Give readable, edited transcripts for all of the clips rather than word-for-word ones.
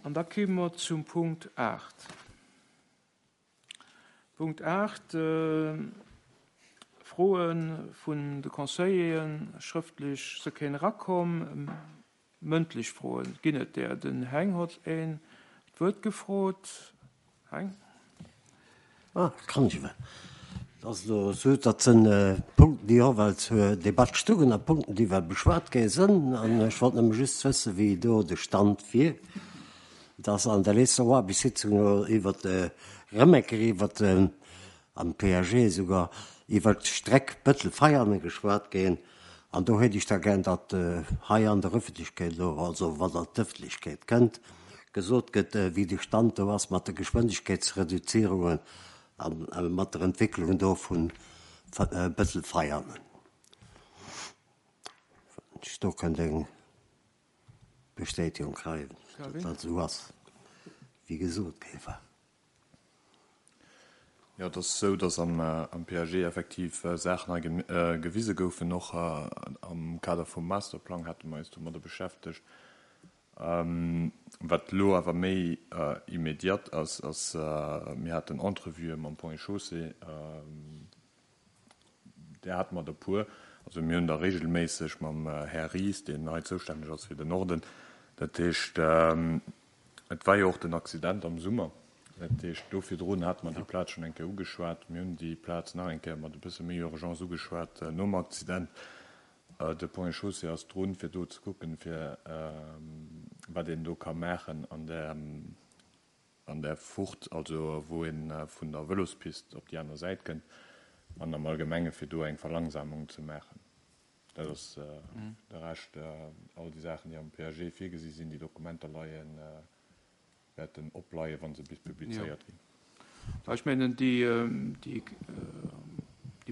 An da kéime mer zum Punkt 8. Punkt 8, Froe vun de Conseilleren, schrëftlech se kéint erakomm. Mëndlech Froen ginn et där. Den Heng hott een d'Wuert gefrot. Heng. Ah, kann ech ewell. Et ass elo esou, dat sinn Punkten, déi och ewell zur Debatt stungen a Punkten, déi ewell beschwat gi sinn. An ech wollt nëmme just wëssen, wéi do de Stand wier. Et ass an der letzter Oarbechtssitzung iwwert de Rëmecker, iwwert de, am PAG esouguer, iwwert d'Streck Bëttel-Veianen geschwat ginn. An do hätt ech da gär, datt hei an der Öffentlechkeet elo, also wann an d'Öffentlechkeet kënnt, gesot gëtt, wéi de Stand do ass mat de Geschwindegkeetsreduzierungen a mat der Entwécklung do vu Bëttel-Veianen. Wann ech do kënnt eng Bestätigung kréien, datt dat esou ass, wéi gesot gi war. Jo, et ass esou, datt am PAG effektiv Saachen hei gewise goufen. Och am Kader vum Masterplang hate mer eis domadder beschäftegt. Wat elo awer méi immediat ass, ass, mir haten Entrevuë mam Ponts et Chaussées, Där hate mer der puer. Also mir hunn der regelméisseg mam Här Ries, deen hei zoustänneg ass fir den Norden. Dat heescht, et war jo och den Accident am Summer. Dat heescht, do virdrun hate mer déi Plaz schonn eng Kéier ugeschwat. Mir hunn déi Plaz nach eng Kéier mat e bësse méi Urgence ugeschwat nom Accident. De Ponts et Chaussées ass drun, fir do ze kucken, fir wat een do ka maachen an där an där Furt, also wou ee vun der Vëlospist op déi aner Säit kënnt, an am Allgemenge fir do eng Verlangsamung ze maachen. Dat ass de Rescht. All déi Saachen, déi am PAG virgesi sinn, déi Dokumenter leien, wäerten opleien, wa se bis publizéiert ginn. Ech mengen, déi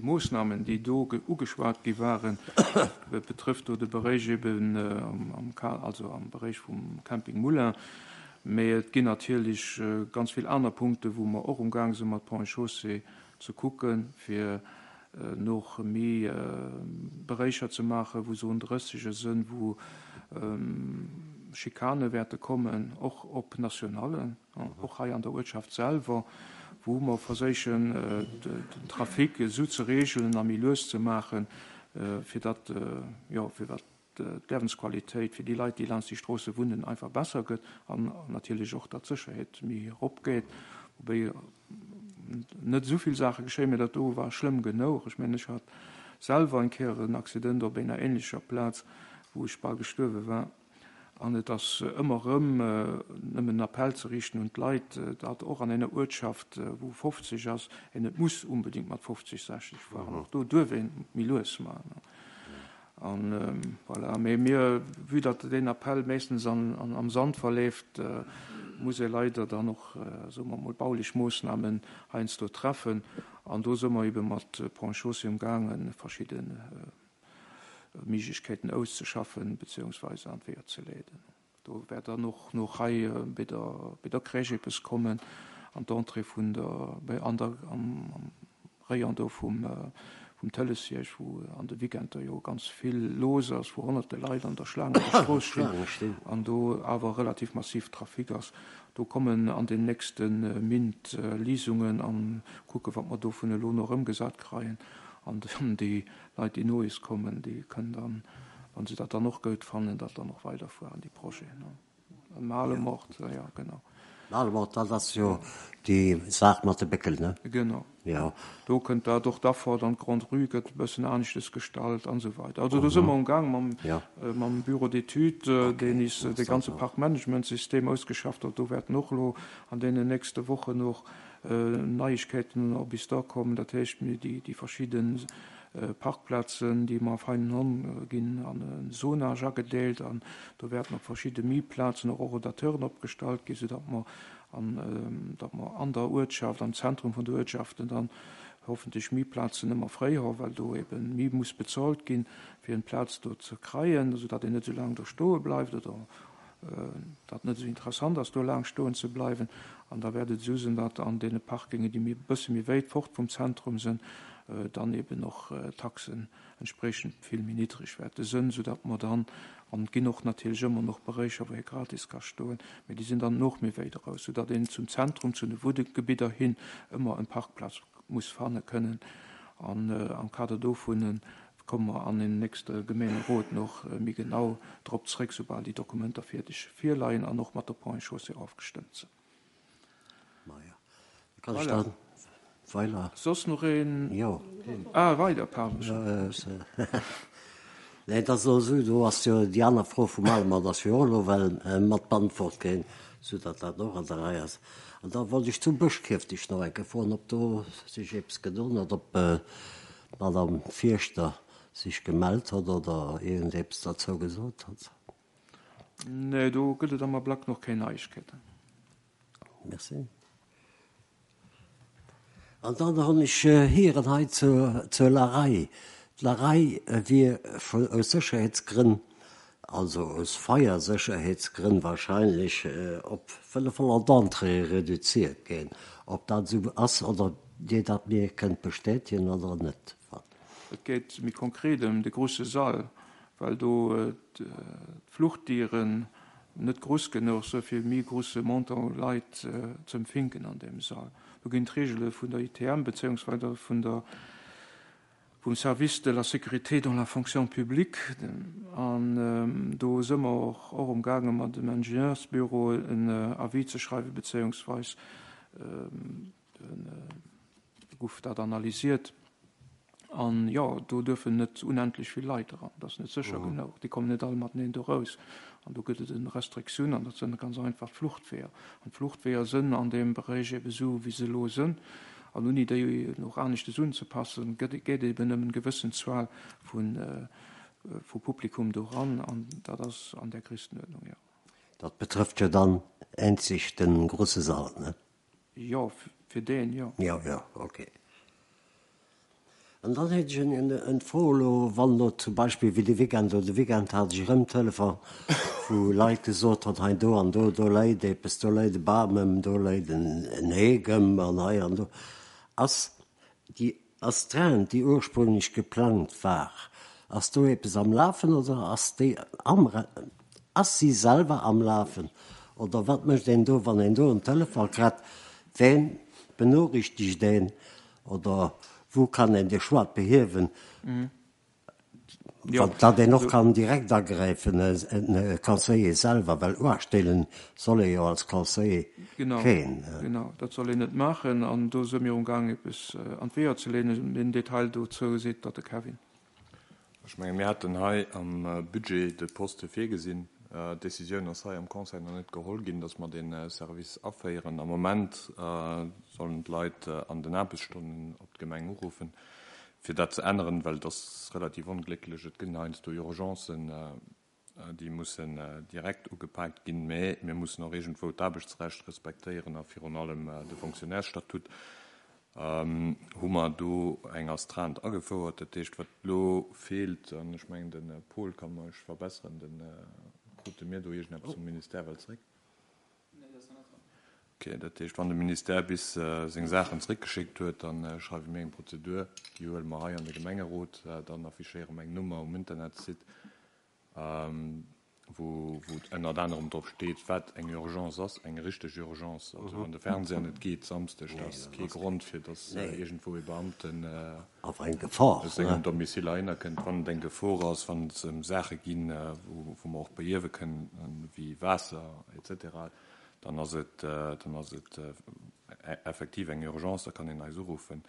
Moossnamen, déi do ugeschwat gi waren, betrëfft do de Beréich eben am, also am Beréich vum Camping Moulin. Mee et ginn natierlech ganz vill aner Punkten, wou mer och umgaang si mat Ponts et Chaussées ze kucken, fir nach méi Beréicher ze maachen, wou Zone 30 sënn, wou Schikane wäerte kommen, och op Nationallen. Och hei an der Uertschaft selwer, wou mer verséichen, den Trafic esou ze reegelen a méi lues ze maachen, fir datt, jo, fir datt d'Liewensqualitéit fir déi Leit, déi laanscht déi Stroosse wunnen, einfach besser gëtt an natierlech och, datt d'Sécherheet méi eropgeet. Woubéi net esou vill Saache geschéien, mä dat do war schlëmm genouch. Ech mengen, ech hat selwer eng Kéier en Accident op enger ähnlecher Plaz, wou ech bal gestuerwe war. An et ass ëmmer erëm nëmmen en Appell ze riichten un d'Leit, datt och an enger Uertschaft, wou 50 ass, een net muss unbedéngt mat 50, 60 fueren. Och do duerf ee méi lues maachen. An voilà. Mee mir, vue datt deen Appell meeschtens am Sand verleeft, muss ee leider dann och, soe mer emol, baulech Moossnamen heiansdo treffen. An do si mer ebe mat Ponts et Chaussées umgaangen, verschidde Méiglechkeeten auszeschaffen beziehungsweise an d'Weeër ze leeden. Do wäert dann och nach hei bei der, bei der Crèche eppes kommen, an d'Entrée vun der, bei an der, am, am Rayon do vum, vum Tëlesierg, wou an de Weekender jo ganz vill los ass, wou honnerte Leit an der Schlaang an der Strooss stinn an do awer relativ massiv Trafic ass. Do kommen an den nächste Mint Lisungen an kucke wat mer do vun elo no erëmgesat kreien an dann déi Leit, déi no is kommen, déi kënnen dann, wa se dat dann och goud fannen, dat dann och weiderfueren, déi Projeten. Malemort, jo, genau. Malemort, dat ass jo déi Saach mat de Béckel, ne? Genau. Jo. Do kënnt dat och d'Affer, dann d'Grande Rue gëtt e bëssen aneschtes gestalt an esou weider. Also do si mer umgaang mam, mam Bureau d'études, deen is de ganze Parkmanagementsystem ausgeschafft huet. Do wäerten och elo an deenen nächste Wochen och Neiegkeeten op is da kommen. Dat heescht, mir déi, déi verschidde Parkplazen, déi mer feinen honn, ginn an e Zonage agedeelt an do wäerten op verschidde Mietplazen och Horodateuren opgestallt ginn, soudatt mer an datt mer an der Uertschaft, am Zentrum vun de Uertschaften dann hoffentlech Mietplazen ëmmer fréi honn, well do eben méi muss bezolt ginn, fir en Plaz do ze kreien, soudatt een net esou laang do stoe bleift oder datt net esou interessant ass, do laang stoen ze bleiwen. An da wäert et esou sinn, datt an deene Parkinge, déi méi e bësse méi wéit fort vum Zentrum sinn, dann eben och d'Taxen entspriechend vill méi niddreg wäerte sënn, soudatt mer dann An et ginn och natierlech ëmmer nach Beréicher, wou ee gratis ka stoen, mee déi sinn dann och méi wéit eraus, soudatt een zum Zentrum, zu de Wunnegebidder hin ëmmer en Parkplaz muss fanne kënnen. An am Kader dovun komme mer an den nächste Gemeenerot nach méi genau drop zréck, soubal déi Dokumenter fierdeg virleien an och mat der Ponts et Chaussées ofgestëmmt sinn. Maja, da kann ech dann weiler. Soss nach een? Jo. Ah, weider, pardon. Nee, et ass elo esou, do ass jo déi aner Fro vum Alemant ass jo och elo well mat beantwort ginn, soudatt dat och an der Rei ass. An da wollt ech zum Bëschkierfecht nach eng Kéier froen, ob do sech eppes gedoen huet, ob d'Madame Fierschter sech gemellt huet oder iergendeppes derzou gesot huet. Nee, do gëtt et am Ablack nach keng Neiegkeeten. Merci. An dann hunn ech héieren hei zur Larei, d'Larei wier aus Sécherheetsgrënn, also aus Feiersécherheetsgrënn wahrscheinlech, op 500 Entréeë reduziert ginn. Ob dat esou ass oder Dir dat mir kënnt bestätegen oder net. Et geet méi konkret ëm de grouse Sall, well do d'Fluchtdieren net gruss genuch se fir méi grusse Montant u Leit ze empfinken an deem Sall. Do ginn d'Regele vun der ITM bezéiungsweise vun der vum Service de la sécurité dans la fonction publique an do se mer och och umgaange mat dem Ingenieursbüro en Avis ze schreiwen bezéiungsweis Gouf dat analysiert. An jo, do duerfen net unendlech vill Leit eran. Dat ass net sécher genuch. Déi kommen net all mateneen do raus. An do gëtt et en Restriktioun, an dat sënn ganz einfach d'Fluchtweeër. An d'Fluchtweeër sënn an deem Beréich ebe sou, wéi se elo sënn. An ouni déi och aneschtes unzepassen, gëtt, geet eben nëmmen gewëssen Zuel vu, vu Publikum do ran. An dat ass an där Grisstenuerdnung, jo. Dat betrëfft jo dann eenzeg de grouse Sall, ne? Jo, fir deen, jo. Jo, jo, ok. An dann hätt ech en Fro elo, wann elo zum Beispill wéi de Weekend, elo de Weekend hat ech erëm Telefon, wou Leit gesot hunn, hei do an do, do läit eppes, do läit e Bam ëm, do läit en Heek ëm an hei an do. Ass déi Astreinte, déi ursprünglech geplangt war, ass do eppes am Lafen oder ass déi am, ass si selwer am Lafen oder wat mécht een do, wann een do en Telefon kritt, ween benoriichtegt een oder wou kann een de Schued behiewen? Datt een och kann direkt agräifen, e Conseiller selwer, well uerteelen soll ee jo als Conseiller keen. Genau, dat soll een net maachen. An do si mir umgaang eppes an d'Weeër ze leeën. Den Detail dozou seet der de Kevin. Ech menge mir haten hei am Budget de Poste virgesinn. D'Décisioun ass hei am Conseil nach net geholl ginn, datt mer dee Service aféieren. Am Moment sollen d'Leit an den Aarbechtsstonnen op d'Gemeng uruffen. Fir dat ze änneren, well et ass relativ onglécklech, et gënn heiansdo Urgencen, déi mussen direkt ugepaakt ginn, mä mir mussen och iergendwou d'Aarbechtsrecht respektéieren a virun allem de Fonctionnairesstatut, hu mer do eng Astreinte agefouert. Dat heescht, wat elo feelt, an ech mengen, de Paul ka mech verbesseren, de krute mir do iergendeppes vum Ministère well zréck? Ok, dat heescht, wann de Ministère bis seng Saachen zréckgeschéckt huet, da schreiwe mir eng Prozedur, déi huele mer hei an de Gemengerot, dann affichéiere mer eng Nummer um Internetsite, wou ënnert anerem drop steet, wat eng Urgence ass, eng richteg Urgence. Also wann de Fernseher net geet Samsdeg, dat ass kee Grond, fir datt iergendwou ee Beamten aus sengem Domicile heihinner kënnt. Wann et eng Gefor ass, wann et ëm Saache ginn, wou mer och behiewe kënnen, wéi Waasser et cetera, dann ass et, dann ass et effektiv eng Urgence, da kann een eis uruffen,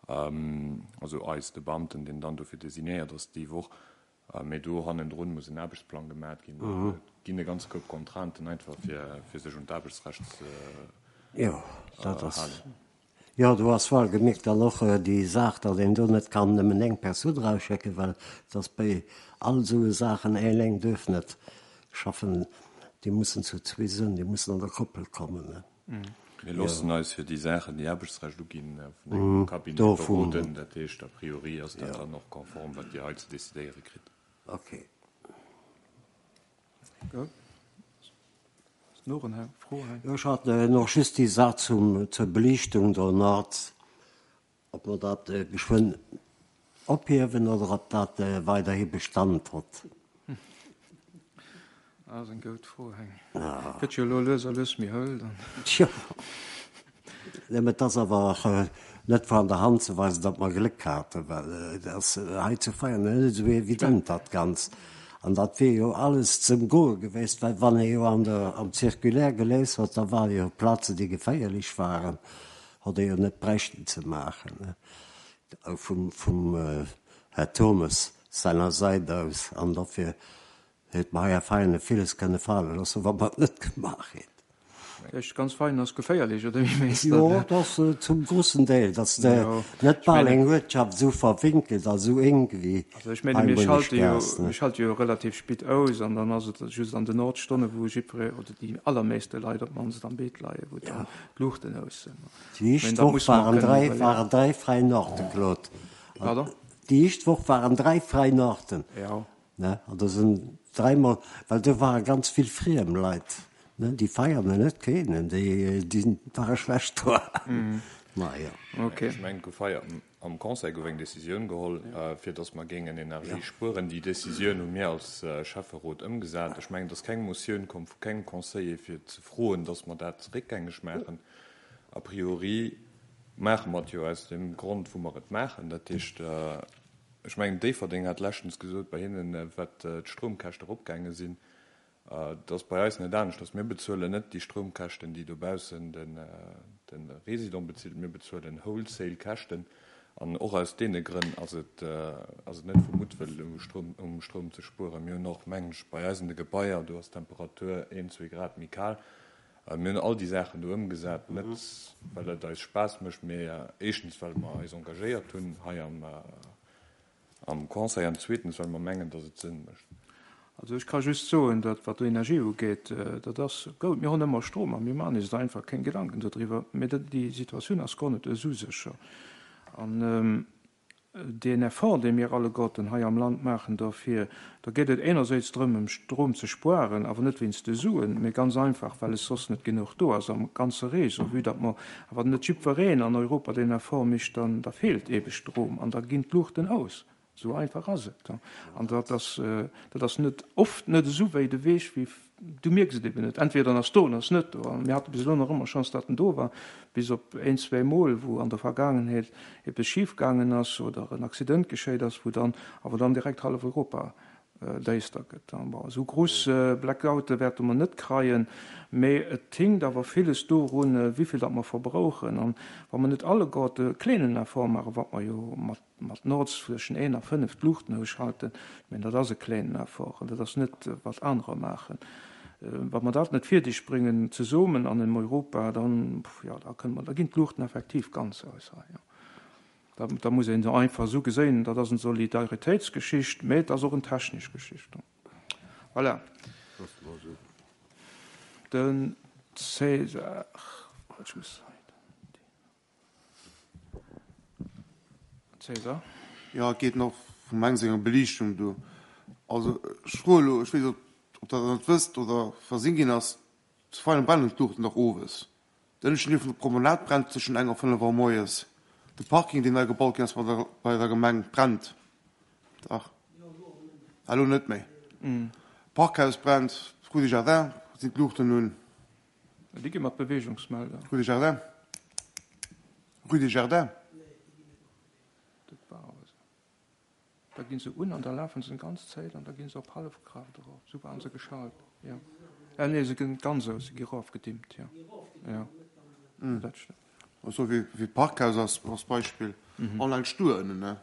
also eis, de Beamten, deen dann dofir designéiert ass déi Woch. Mee do hannendrun muss en Aarbechtsplang gemat ginn. Et ginn e ganze Koup Contrainten einfach, fir, fir sech un d'Aarbechtsrecht ze Jo, dat ass, halen. Jo, do ass wuel gemierkt dann och déi Saach, datt een do net kann nëmmen eng Persoun erausschécken, well et ass bei all esou Saachen, eleng duerf net schaffen, déi mussen zu zwee sënn, déi mussen an der Koppel kommen. Mir loossen eis fir déi Saachen, déi Aarbechtsrecht uginn, vun engem Cabinet beroden. Dat heescht, a priori ass dat dann och konform, wat Dir hei ze decidéiere kritt. Okay. Ech hat nach just déi Saach zum, zur Beliichtung do Nord, ob mer dat geschwënn ophiewen oder ob dat weiderhi Bestand hott. Dat ass eng goud Fro, Heng. Gëtt jo elo lues a lues méi hëll dann. Tjo. Nëmme et ass awer och net vun der Hand ze weisen, datt mer Gléck haten, well et ass hei zu Veianen net esou evident dat Ganzt. An dat wier jo alles ze ëmgoe gewiescht, well wann ee jo an der, am Circulaire geléist huet, da ware jo Plazen, déi geféierlech waren, hott ee jo net bräichten ze maachen, vum, vum Här Turmes seiner Säit aus. An dofir Huet mer hei a Veianen villes kënne fale loossen, wa mer et net gemaach hätten. Echt ganz Veianen ass geféierlech, oder wéi mengs de dat? Jo, et ass zum grussen Deel, datt de net bal eng Uertschaft esou verwinkelt a sou enk wéi Also ech menge mir schalte jo, mir schalte jo relativ spit aus an dann ass et just an den Nordstonne wou jiddweree oder déi allermeeste Leit op d'mannst am Beet leien, wou dann d'Luuchten aus sinn. Déi éischt Woch waren 3, waren 3 fräi Norte, Claude. Pardon? Déi éischt Woch waren 3 fräi Norten. Jo. Ne, an do sinn dräimol, well do ware ganz vill friem Leit, ne, déi Veianer net kennen, déi, déi ware schlecht dra. Ma jo. Okay. Ech mengen, et gouf hei am Conseil gouf eng Décisioun geholl, fir datt mer géingen Energie spueren. Déi Décisioun hu mir als Schäfferot ëmgesat. Ech mengen, et ass keng Motioun komm vu kengem Conseiller, fir ze froen, datt mer dat réckgängeg maachen. A priori maache mer et jo aus deem Grond, wou mer et maachen. Dat heescht, Ech mengen, Déifferdeng hat leschtens gesot, bei hinnen, wat d'Stroumkäschte eropgaange sinn. Et ass bei eis net aneschters. Mir bezuelen net déi Stroumkäschten, déi dobaussen de Résident bezilt. Mir bezuelen Wholesale-Käschten. An och aus deene Grënn ass et net vu Muttwëll, um Stroum ze spueren. Mir hunn och, mengen ech, bei eis an de Gebaier, do ass d'Temperatur een, zwee Grad méi kal. Mir hunn all déi Saachen do ëmgesat, net well et eis Spaass mécht, mee éischtens well mer eis engagéiert hunn hei am Conseil an zweetens well mer mengen, datt et Sënn mécht. Also ech ka just soen, datt wat d'Energie ugeet, dat ass goud, mir hunn ëmmer Strom a mir maachen eis da einfach keng Gedanken dodriwwer, mee déi Situatioun ass guer net esou sécher. An Deen Effort, dee mir alleguerten hei am Land maachen derfir, da geet et enerséits drëm, ëm Strom ze spuaren, awer net wéinst de Suen, mee ganz einfach, well es soss net genuch do ass am ganze Réseau. Vue datt mer awer net jiddwereen an Europa deen Effort mécht, dann da feelt eebe Strom an da ginn d'Luuchten aus. Esou einfach ass et. An dat ass, dat ass net oft net esou wéi de Weg, wéi Du mierks et eben net. Entweder en ass do, en ass net do. A mir hate bis elo nach ëmmer Chance, datt en do war, bis op een, zwéi Mol, wou an der Vergaangenheet eppes schif gaangen ass oder en Accident geschéit ass, wou dann awer dann direkt hallef Europa däister gëtt. Bon, esou gruss Blackoute wäerte mer net kreien, mee et hinkt awer villes dorun, wéivill datt mer verbrauchen. An wa mer net alleguerte kleenen Effort maachen, wat mer jo mat Mat Nords zwëschen 1 a 5 d'Luuchten ausschalten, ech mengen, dat ass e kléinen Effort an dat ass net, wat anerer maachen. Wa mer dat net fierdeg bréngen zesummen an engem Europa, dann, jo, da kënne mer, da ginn d'Luuchten effektiv ganz aus hei, jo. Da, da muss een se einfach esou geséien, dat ass eng Solidaritéitsgeschicht, mä et ass och eng technesch Geschicht. Voilà. Den César, ech muss hei. César. Jo, et geet nach vum Heng senger Beliichtung do. Also ech froe elo, ech weess net, ob Der dat net wësst oder versinn ginn ass, Zu Veianen brennen d'Luuchten dach owes. Den ënneschten Deel vun der Promenade brennt tëschent eng a 5 Auer moies. De Parking, deen nei gebaut ginn ass bei der Gemeng, brennt dach elo net méi. D'Parkhaus brennt, d'Rue des Jardins sinn d'Luuchten un. Déi gi mat Beweegungsmelder. Rue des Jardins. Rue des Jardins. Dat war awer esou. Da gi se un an da lafe se ganz Zäit an da gi se op Hallefkraaft erof. Esou waren se geschalt, jo. Ah nee, se ginn ganz aus, se gi erofgedimmt, jo. Jo, dat stëmmt. Esou wéi d'Parkhaus ass als Beispill, all eng Stuer ënnen, ne?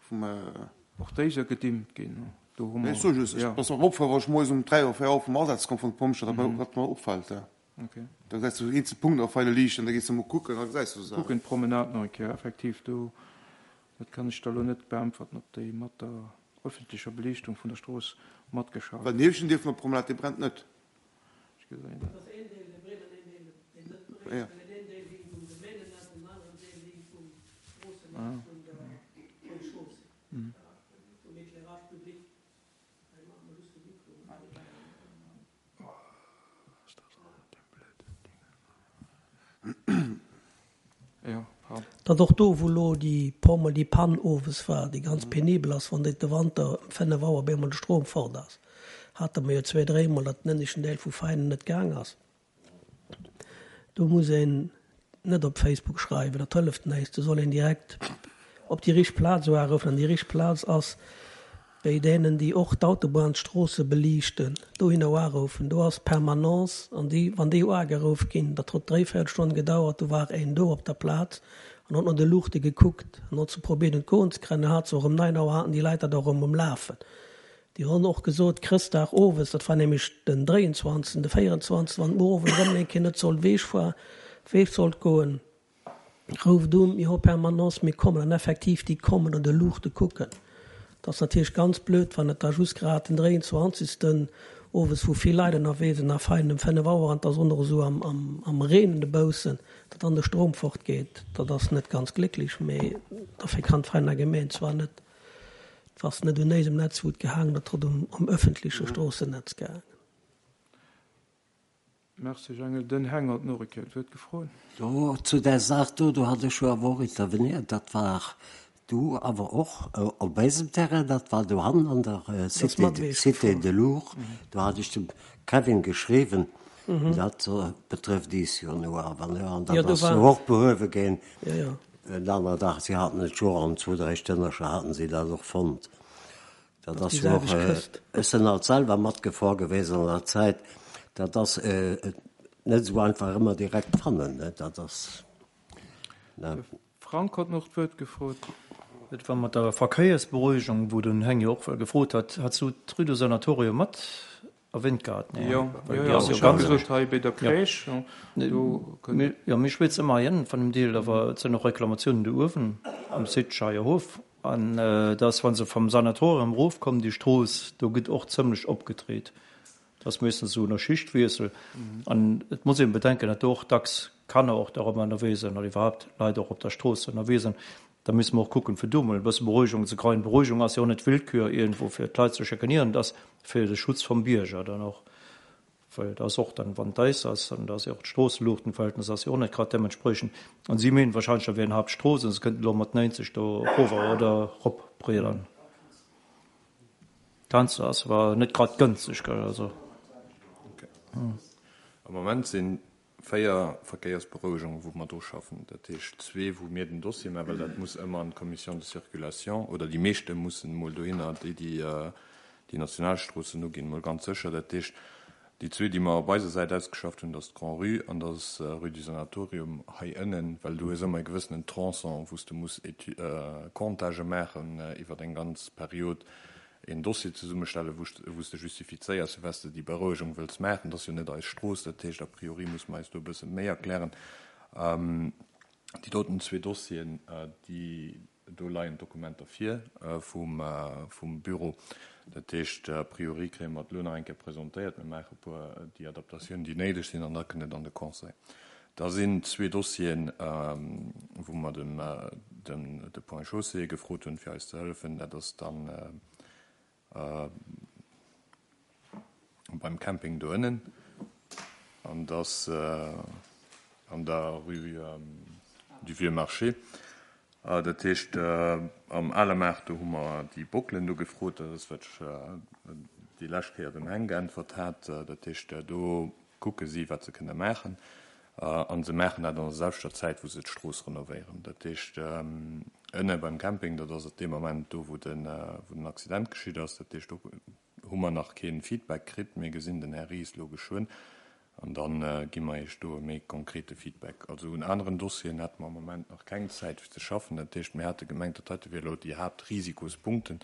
Vum. Och déi soll gedimmt ginn. Do hu mer. Ech soe just, et ass mer opfall, wa ech moies um 3 oder 4 Auer vum Asaz komm vun de Pompjeeën, datt mer dat mer opfält. Okay. Da gesäis du eenzel Punkten op feile Liichten, da gees du emol kucken, da gesäis du se. Kucken d'Promenade nach eng Kéier, effektiv do, dat kann ech der elo net beäntwerten, ob déi mat der öffentlecher Beliichtung vun der Strooss matgeschafft. Well den ieweschten Deel vun der Promenade, dee brennt net. Ech gesinn dat. Datt och do, wou elo déi puer mol déi Pann owes war, déi ganz penibel ass, wann de Wanter ëm 5 Auer op eemol de Strom fort ass. Hate mer jo zwéi, dréimol, datt den ënneschten Deel vu Veinen net gaang ass. Do muss een net op Facebook schreiwen, dat hëlleft näischt. Do soll een direkt op déi richteg Plaz uaruffen. An déi richteg Plaz ass béi deenen, déi och d'Autobahnstroosse beliichten. Dohinner uaruffen. Do ass Permanence. An déi, wann déi uageruff ginn, dat huet dréivéierel Stonn gedauert, do war een do op der Plaz an huet no de Luuchte gekuckt an huet se probiert un d'Goen ze kréien. Dann hat se och ëm 9 Auer haten déi Leit dat och erëm um Lafen. Déi honn och gesot, Chrëstdag owes, dat war nämlech den 23., de 24., wann muer owend erëm eng Kéier net sollt Weech fuer, Weech sollt goen, rouft un, mir hu Permanence, mir kommen. An effektiv, déi kommen an de Luuchte kucken. Dat ass natierlech ganz blöd, wann et da just grad den 23. owes, wou vill Leit ënnerwee sinn, a fein ëm 5 Auer an et ass och nach esou am, am, am Reen dobaussen, datt dann de Strom fortgeet. Dat ass net ganz glécklech, mee dofir kann d'Veiner Gemeen zwar net Et ass net un éisem Netz wou et gehaangen huet, et huet um ëffentleche Stroossennetz gehaangen. Merci Jangel. Den Heng hat nach e Kéier d'Wuert gefrot. Jo, zu där Saach do, do hat ech jo awer och interveniert. Dat war do awer och op eisem Terrain, dat war dohannen an der Cité, Cité de Lourdes. Do hat ech dem Kevin geschriwwen, dat betrëfft iis jo no awer, ne, an dat ass jo och behuewe ginn. En aner Dag, si haten et jo an zwou, dräi Stënnercher haten si dat och fonnt. Dat ass jo och, ech sinn alt selwer matgefor gewesen an der Zäit, dat ass net esou einfach ëmmer direkt fannen, ne, dat ass, ne. De Frank hat nach d'Wuert gefrot. Et war mat der Verkéiersberuhigung, wou den Heng jo och gefrot hat, hat s du d'Rue du Sanatorium mat Erwähnt gehat, nee. Jo, jo, jo, ech hat gesot hei bei der Crèche, do kënnt. Jo, mir schwätzen ëmmer hei ënnen van dem Deel, awer et sinn och Reklamatiounen do uewen am Site Scheierhof. An dat ass, wa se vam Sanatorium erofkommen, déi Strooss, do gëtt och zëmlech opgedreet. Dat ass meeschtens esou no Schichtwiessel. An et muss een bedenken, datt do och dacks Kanner och dorëmmer ënnerwee sinn oder iwwerhaapt Leit och op der Strooss ënnerwee sinn. Da musse mer och kucken, fir do emol e bësse Beruhigung ze kreien. Beruhigung ass jo och net Willkür iergendwou fir d'Leit ze schikanieren, et ass fir de Schutz vum Bierger dann och, well et ass och dann, wann d'Eis ass, an da ass jo och d'Stroosseluuchtenverhältnis ass jo och net grad deementspriechend. An si meenen wahrscheinlech, da wier eng Haaptstrooss an se kënnten elo mat 90 do erover oder eropbriedern. D'Fenster ass awer net grad gënschteg, gell, also. Am Moment sinn 4 Verkéiersberouegungen, wou mer dru schaffen, dat heescht zwee, wou mir den Dossier maachen, well dat muss ëmmer an d'Commission de circulation, oder déi meeschte mussen emol dohinner, déi déi déi Nationalstroossen uginn, emol ganz sécher. Dat heescht, déi zwee, déi mer op eiser Säit ausgeschafft hunn, dat ass d'Grand-Rue an dat ass Rue du Sanatorium hei ënnen, well du hues ëmmer e gewëssenen Tronçon, wou s de muss Comptagë maachen iwwer eng ganz Period, een Dossier zesummestellen, wou s de justifizéiers, firwat s de déi Berouegung wëlls maachen. Dat ass jo net eis Strooss, dat heescht, a priori muss mer eis do e bësse méi erklären. Déi doten zwee Dossieren, déi, do leien d'Dokumenter vir vum Büro. Dat heescht, a priori kréie mer et elo nach eng Kéier presentéiert. Mir maache e puer déi Adaptatiounen, déi néideg sinn, an da kënnt et an de Conseil. Da sinn zwee Dossieren, wou mer de Ponts et Chaussées gefrot hunn, fir eis ze hëllefen. Dat ass dann beim Camping do ënnen an dat ass an der Rue du Vieux Marché. Dat heescht, am Ale Maart, do hu mer déi Bockelen do gefrot. Dat ass, wat ech déi lescht Kéier dem Heng geäntwert hat. Dat heescht, do kucke si, wat se kënne maachen. A se maachen dat an der selwechter Zäit, wou se d'Strooss renovéieren. Dat heescht, ënne beim Camping, dat ass op deem Ament do, wou den Accident geschitt ass. Dat heescht, do hu mer nach kee Feedback kritt. Mir gesinn den Här Ries elo geschwënn an da gi mer Iech do e méi konkrete Feedback. Also un aneren Dossieren hätte mer am Moment nach keng Zäit fir ze schaffen. Dat heescht, mir hate gemengt, dat heite wier elo déi Haaptrisiikospunkten.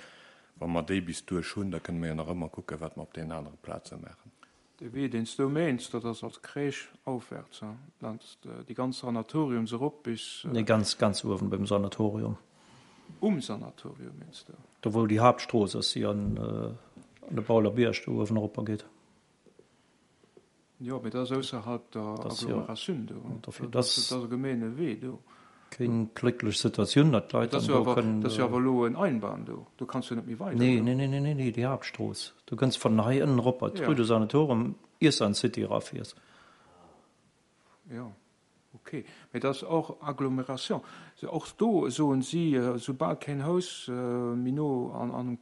Wa mer déi bis duerch hunn, da kënne mer jo nach ëmmer kucken, wat mer op deenen anere Plaze maachen. De Wee, deen s du meens, dat ass als Crèche aufwärts, laanscht déi ganz Sanatoriums erop bis. Nee, ganz, ganz uewen beim Sanatorium. Um Sanatorium, meens du? Do wou déi Haaptstrooss ass, déi an de Bauler Bierg do uewen eropper geet. Jo, mee dat ass ausserhalb der Agglomeratioun do. Dat ass e gemeene Wee do. Keng glécklech Situatioun, datt d'Leit dann do kënnen. Dat ass jo awer elo en Einbahn do, do kanns du net méi weider. Nee, nee, nee, nee, nee, déi Haaptstrooss. Du kënns vun hei ënnen erop bei d'Rue du Sanatorium iers de an d'City erafiers. Jo. Ok, mee dat ass och Agglomération. Och do soen si, soubal keen Haus méi no an,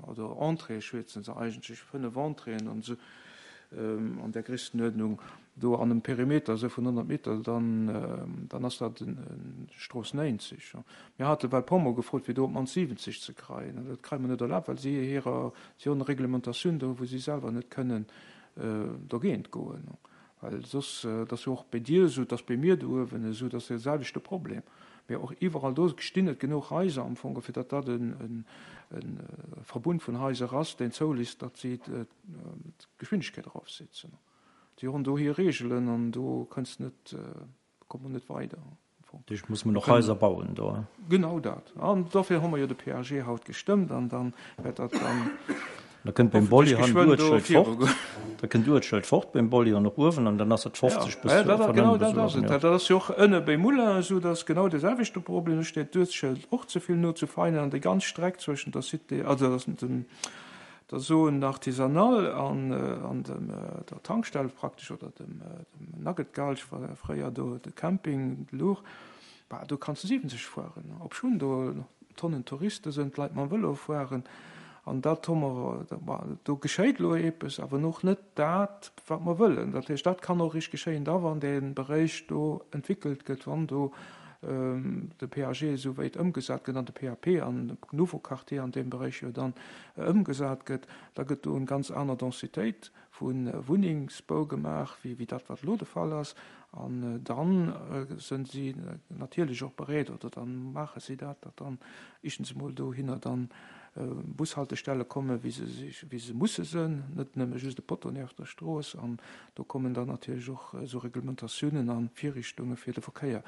oder Entrée schwätzen se eigentlech, 5 Entréeën an esou an där Gréisstenuerdnung, do an einem Perimeter esou vun 100 Meter, dann, dann ass dat Strooss 90. Mir hate well Pommer gefrot, fir do op d'mannst 70 ze kreien, an dat kreie mer net erlaabt, well si hirer, si hunn Reglementatioun do, wou si selwer net kënnen dogéint goen. Well soss, et ass jo och bei dir esou, et ass bei mir do uewen esou, et ass dee selwechte Problem. Mee och iwwerall do stinn et genuch Haiser am Fong, fir datt dat e Verbund vun Haiser ass, deen zoulisst, datt si d'Geschwindegkeet erofsetzen. Si hunn do hir Reegelen an do kënns net, komme mer net weider. Duerch muss mer nach Haiser bauen do. Genau dat. An dofir hu mer jo de PAG haut gestëmmt an dann wäert dat dann Da kënnt beim Bolli han d'Uertschëld fort. Da kënnt d'Uertschëld fort beim Bolli an och uewen an dann ass et 50 bis ja, dat, genau dat ass et. Dat ass jo och ënne beim Moulin esou, dat ass genau de selwechte Problem. Do steet d'Uertschëld och ze vill no zu Veinen an déi ganz Streck zwëschen der Cité, also dem der Zone artisanale an an dem der Tankstell praktesch oder dem dem Nugget-Gulch war fréier do de Camping louch, bah do kanns de 70 fueren, obschonn do Tonnen Touriste sënn, d'Leit mam Vëlo fueren an dat hu mer, bah do geschéit elo eepes, awer och net dat wat mer wëllen. Dat heescht, dat kann och eréischt geschéien da wann dee Beréich do entwickelt gëtt, wann do de PAG esou wéit ëmgesat gëtt an de PAP an de Nouveau Quartier an deem Beréich jo dann ëmgesat gëtt, da gëtt do eng ganz aner Densitéit vu Wunnengsbau gemaach wéi wéi dat wat elo de Fall ass. An dann sënn si natierlech och bereet, oder dann maache si dat, datt dann éischtens emol dohinner dann Bushaltestelle komme wéi se sech, wéi se musse sënn, net nëmme just e Poteau nieft der Strooss. An do kommen dann natierlech och esou Reglementatiounen a Virrichtunge fir de Verkéier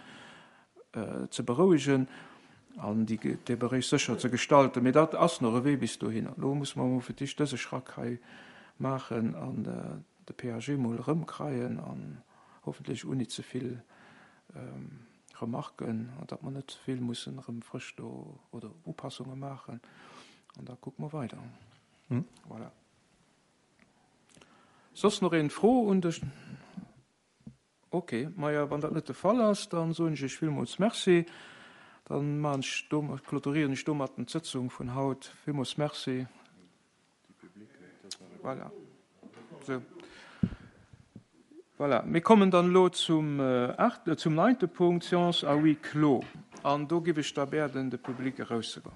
ze berouegen an déi, dee Beréich sécher ze gestalten. Mee dat ass nach e Wee bis dohinner. Elo musse mer emol fir d'éischt dëse Schrack hei maachen an de PAG emol erëmkreien an hoffentlech ouni ze vill Remarken, an datt mer net ze vill mussen erëm frësch do oder Upassunge maachen. An da kucke mer weider. Voilà. Soss nach een Fro un de. Ok, maja, wann dat net de Fall ass, dann soen ech Iech villmools Merci. Dann maachen ech do, clôturieren ech domatten d'Sëtzung vun haut. Villmools Merci. Voilà. Sou. Voilà. Mir kommen dann elo zum aachten, zum neunte Punkt, Séance à huis clos. An do giff ech da bäerden, de Public erauszegoen.